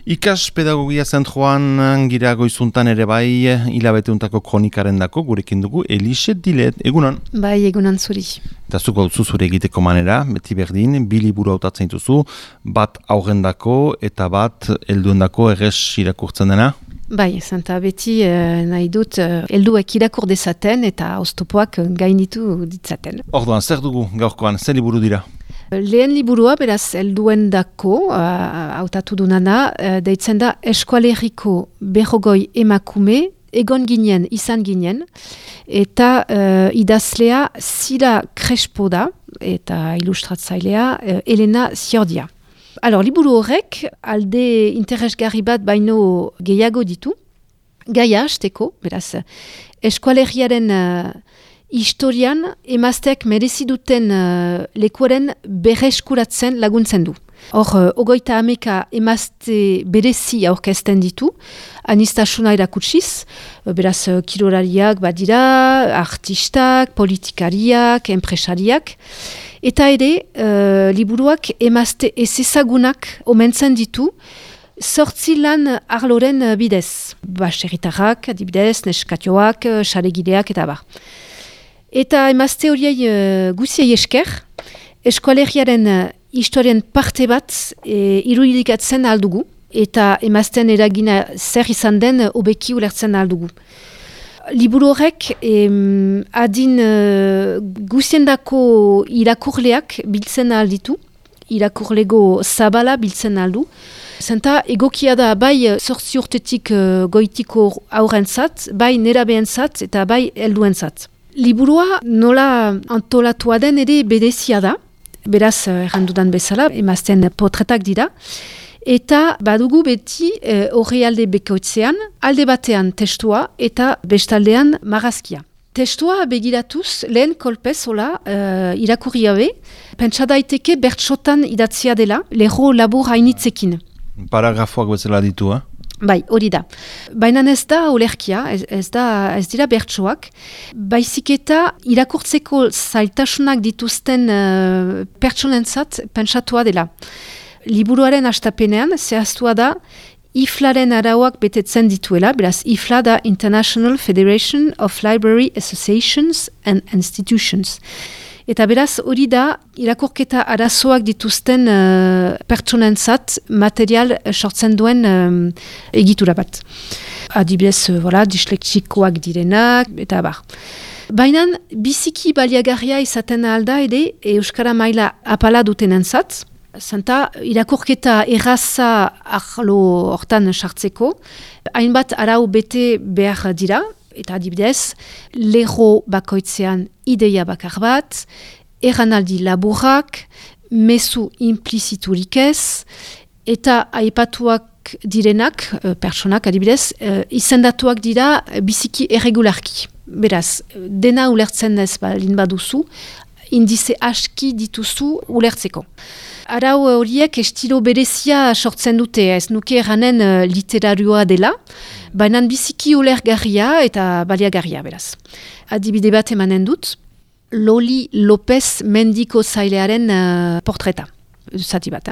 Ikas pedagogia zentroan gira goizuntan ere bai hilabeteuntako kronikaren dako gurekin dugu Elise Dilet, egunon? Bai, egunon zuri. Eta zuk hau zure egiteko manera, beti berdin, bi liburu hautatzen dituzu, bat aurrendako eta bat helduendako errez irakurtzen dena? Bai, zenta beti nahi dut helduek irakur dezaten eta oztopoak gainitu ditzaten. Orduan, zer dugu gaurkoan, zer liburu dira? Lehen liburua, beraz, helduendako hautatu dunana, deitzen da Eskualerriko berrogoi emakume, izan ginen, eta idazlea Zira Crespo da, eta ilustratzailea Elena Ziordia. Liburu horrek, alde interesgarri bat baino gehiago ditu, gaia hasteko, beraz, eskualerriaren historian emazteak merezi duten lekuaren berreskuratzen laguntzen du. Hor, 30 emazte berezi aurkezten ditu, anistasuna erakutsiz, beraz, kirolariak badira, artistak, politikariak, enpresariak, eta ere, liburuak emazte ezezagunak omentzen ditu, 8 lan arloren bidez. Baserritarrak, adibidez, neskatioak, saregideak, eta bar. Eta emazte horiei guziei esker, eskualerriaren historien parte bat irudikatzen aldugu, eta emazten eragina zer izan den hobeki ulertzen aldugu. Liburu horrek adin guziendako irakurleak biltzen alditu, irakurlego zabala biltzen aldu, zenta egokia da bai 8 urtetik goitiko aurrentzat, bai nerabeentzat eta bai helduentzat. Liburua nola antolatua den ere berezia da, beraz errandudan bezala, emazten potretak dira, eta badugu beti horri alde bekoitzean, alde batean testua eta bestaldean marrazkia. Testua begiratuz, lehen kolpez hola irakurri gabe, pentsa daiteke bertsotan idatzia dela, lerro labur hainitzekin. Paragrafoak bezala ditu, Bai, hori da. Baina ez da olerkia, ez dira bertsoak, baizik eta irakurtzeko zailtasunak dituzten pertsonentzat pentsatua dela. Liburuaren hastapenean zehaztua da IFLAren arauak betetzen dituela, beraz IFLA da International Federation of Library Associations and Institutions. Eta beraz hori da irakurketa arazoak dituzten pertsonentzat material sortzen duen egitura bat. Adibidez, disleksikoak direnak, eta bar. Baina biziki baliagarria izaten alda ere euskara maila apala dutenentzat, zenta irakurketa erraza arlo hortan sartzeko, hainbat arau bete behar dira, eta adibidez, lerro bakoitzean ideia bakar bat, erranaldi laburrak, mezu impliziturik ez, eta aipatuak direnak, pertsonak adibidez, izendatuak dira biziki erregularki. Beraz, dena ulertzen ez balin baduzu, indize aski dituzu ulertzeko. Arau horiek estilo berezia sortzen dute, ez nuke erranen literarioa dela, baina biziki ulergarria eta baliagarria beraz. Adibide bat emanen dut, Loli Lopez mendiko zailearen portreta, zati bat.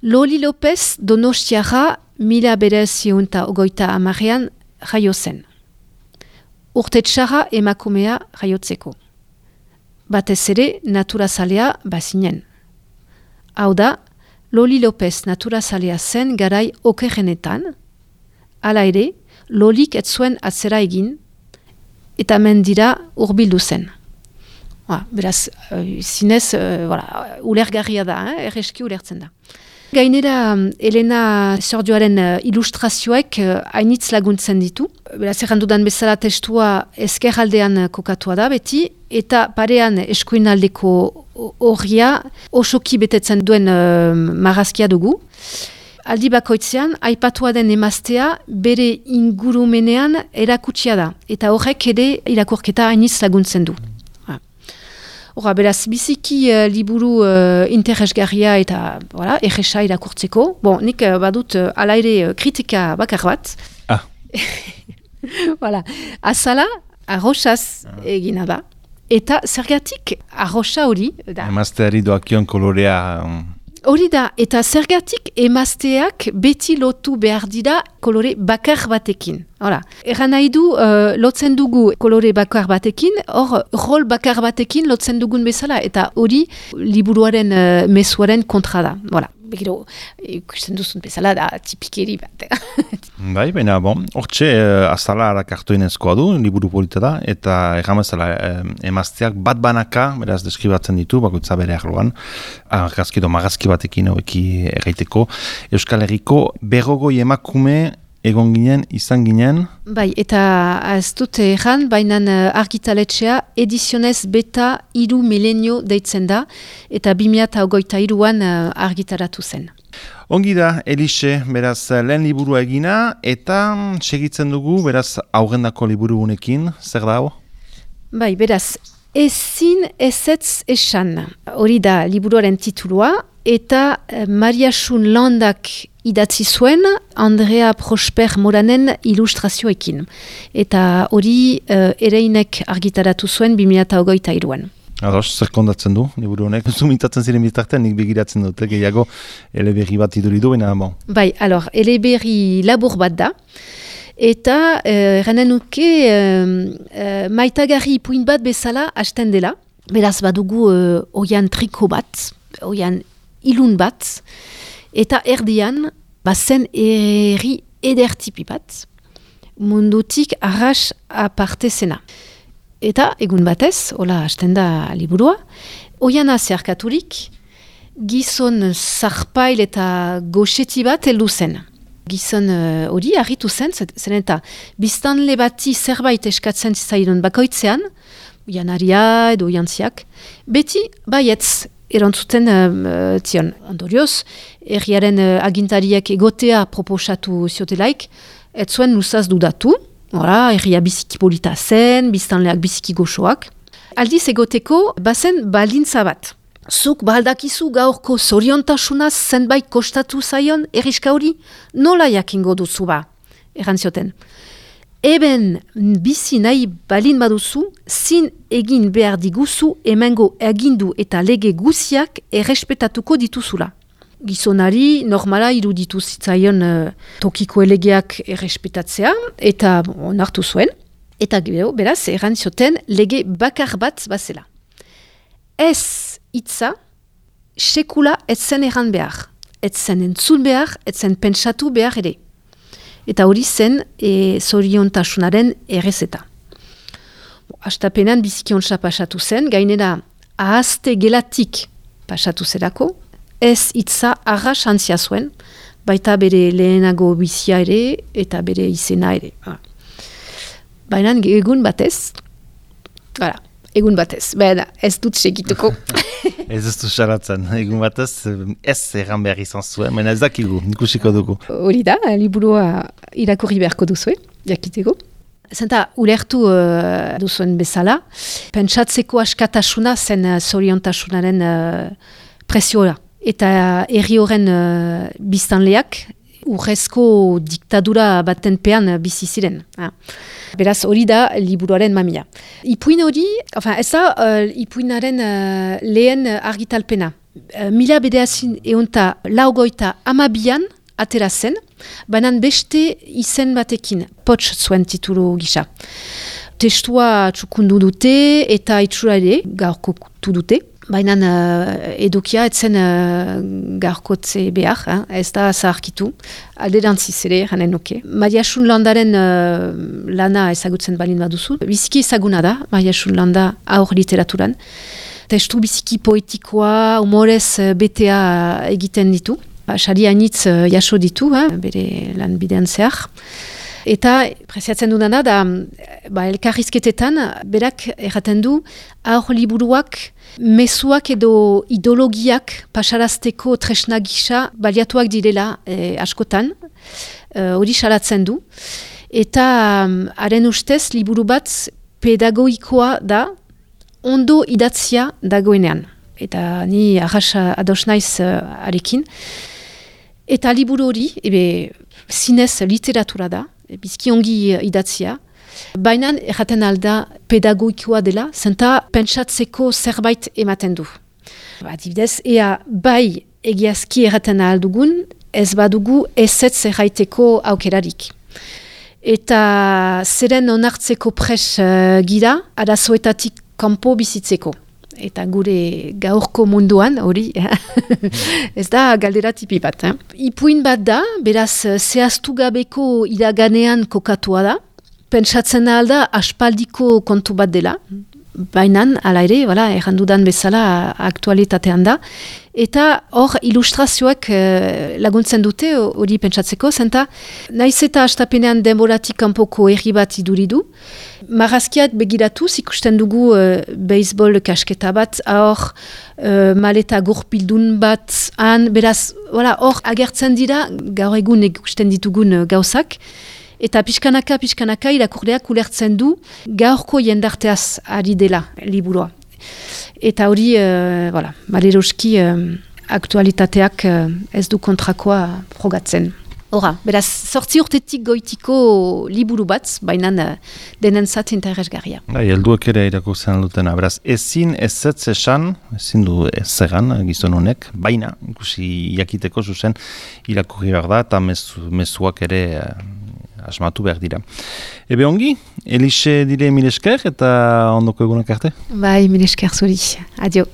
Loli Lopez Donostiarra 1950 jaio zen. Urte txarra emakumea jaiotzeko. Batez ere naturazalea bazinen. Hau da, Loli Lopez naturazalea zen garai okerrenetan, hala ere, Lolik ez zuen atzera egin, eta mendira hurbildu zen. Beraz, zinez, ulergarria da, erreski ulertzen da. Gainera, Elena Ziordioaren ilustrazioek hainitz laguntzen ditu. Beraz, errandudan bezala testua ezkerraldean kokatua da beti, eta parean eskuinaldeko horria osoki betetzen duen marrazkia dugu. Aldi bakoitzean, aipatua den emaztea bere ingurumenean erakutsia da, eta horrek ere irakurketa hainitz laguntzen du. Beraz, biziki liburu interesgarria eta erresa irakurtzeko. Nik badut ala ere kritika bakar bat. Azala, arroxaz egina da. Eta zergatik arroxa hori... Emazteari doakion kolorea Hori da, eta zergatik emazteak beti lotu behar dira kolore bakar batekin. Hala, erran nahi du, lotzen dugu kolore bakar batekin, hor, rol bakar batekin lotzen dugun bezala, eta hori liburuaren mezuaren kontra da. Hala, begiro, ikusten duzun bezala da tipikeri bat. Bai, baina, hortxe, azala arakartoinezkoa du, liburu polita da, eta erramezala emazteak bat banaka, beraz, deskribatzen ditu, bakoitza bere arloan, argazki edo magazki batekin haueki erraiteko. Euskal Herriko 40 emakume egon ginen, izan ginen. Bai, eta ez dut erran, baina argitaletxea edizionez beta 3 milenio deitzen da, eta 2023an argitaratu zen. Ongi da, Elixe, beraz, lehen liburua egina, eta segitzen dugu, beraz, aurrendako liburu unekin, zer da hau? Bai, beraz, ezin ezetz esan, hori da liburuaren titulua, eta Maria Xun Landak idatzi zuen Andrea Prosper Moranen ilustrazioekin. Eta hori ereinek argitaratu zuen 2023an. Ados, zer kondatzen du, liburu honek? Zumintatzen ziren bitartean, nik begiratzen dut, gehiago eleberri bat iduridu, baina bon. Bai, eleberri labur bat da, eta eranen nuke maitagarri ipuin bat bezala hasten dela. Beraz badugu oian triko bat, oian ilun bat, eta erdian bazen erri edertipi bat, mundutik arras aparte zena. Eta egun batez, hola hasten da liburua, oiana zeharkaturik, gizon zarpail eta goxeti bat heldu zen. Gizon hori harritu zen eta biztanle bati zerbait eskatzen zaidon bakoitzean, oianaria edo oiantziak, beti baietz erantzuten zion. Ondorioz, herriaren agintariek egotea proposatu ziotelaik, ez zuen luzaz dudatu, herria biziki polita zen, biztanleak biziki goxoak. Aldiz egoteko, bazen baldintza bat. Zuk baldakizu gaurko zoriontasunaz zenbait kostatu zaion erriska hori, nola jakingo duzu ba, erantzioten. Eben bizi nahi balin baduzu, zin egin behar diguzu emengo agindu eta lege guziak errespetatuko dituzula. Gizonari normala iruditu zitzaion tokiko elegeak errespetatzea eta onartu zuen. Eta beraz, erantzioten lege bakar bat bazela. Ez hitza sekula ez zen erran behar. Ez zen entzun behar, ez zen pentsatu behar ere. Eta hori zen zoriontasunaren errezeta. Hastapenan biziki ontsa pasatu zen, gainera ahazte gelatik pasatu zerako, ez hitza arras antzia zuen, baita bere lehenago bizia ere eta bere izena ere. Baina egun batez, baina ez dut segituko. Ez du xaratzen, egun batez ez erran behar izan zuen, baina ez dakigu, ikusiko dugu. Hori da, liburua irakurri beharko duzuen, jakiteko. Zenta, ulertu duzuen bezala, pentsatzeko askatasuna zen zoriontasunaren presioa. Eta herri horren biztanleak urrezko diktadura baten pean bizi ziren. Beraz, hori da liburuaren mamia. Ipuin hori, ez da ipuinaren lehen argitalpena. 1982an atera zen, banan beste izen batekin, Pots zuen titulu gisa. Testua txukundu dute eta itxura ere gaurkotu dute. Baina edukia etzen gaurkotze behar, ez da zaharkitu, alderantziz ere, janen nuke. Maria Xun Landaren lana ezagutzen balin baduzu. Biziki ezaguna da, Maria Xun Landa aur literaturan. Testu biziki poetikoa, humorez betea egiten ditu. Sari hainitz jaso ditu, bere lan bidean zehar. Eta preziatzen dudana da, elkarrizketetan, berak erraten du, aur liburuak mezuak edo ideologiak pasarazteko tresna gisa baliatuak direla askotan, hori salatzen du. Eta haren ustez, liburu bat pedagogikoa da, ondo idatzia dagoenean. Eta ni arras ados naiz arekin. Eta liburu hori, zinez literatura da, bizki ongi idatzia, baina erraten alda pedagogikoa dela, zenta pentsatzeko zerbait ematen du. Adibidez, ea bai egiazki erraten ahal dugun, ez badugu ezetz erraiteko aukerarik. Eta zeren onartzeko pres gira, arazoetatik kanpo bizitzeko. Eta gure gaurko munduan, hori, ez da galdera tipi bat. Ipuin bat da, beraz, zehaztu gabeko iraganean kokatua da. Pentsatzen da aspaldiko kontu bat dela. Baina, ala ere, errandudan bezala aktualitatean da. Eta hor ilustrazioak laguntzen dute hori pentsatzeko, zenta naiz eta astapenean denboratik kanpoko herri bat iduridu. Marrazkiat begiratuz ikusten dugu beisbol kasketa bat, hor maleta gurpildun bat, beraz, hor agertzen dira gaur egun ikusten ditugun gauzak. Eta pixkanaka irakurleak ulertzen du gaurko jendarteaz ari dela liburua. Eta hori, maleroski aktualitateak ez du kontrakoa frogatzen. Hora, beraz, 8 urtetik goitiko liburu bat, baina denentzat interesgarria. Helduek ere irakurtzen dutena, beraz, ezin ezetz esan, ezin du ezegan gizon honek, baina, ikusi jakiteko zuzen irakurri behar da, eta mezuak ere asmatu behar dira. Ebe ongi, Elixe dire mil esker eta ondoko egunak arte? Bai, mil esker zuri. Adio.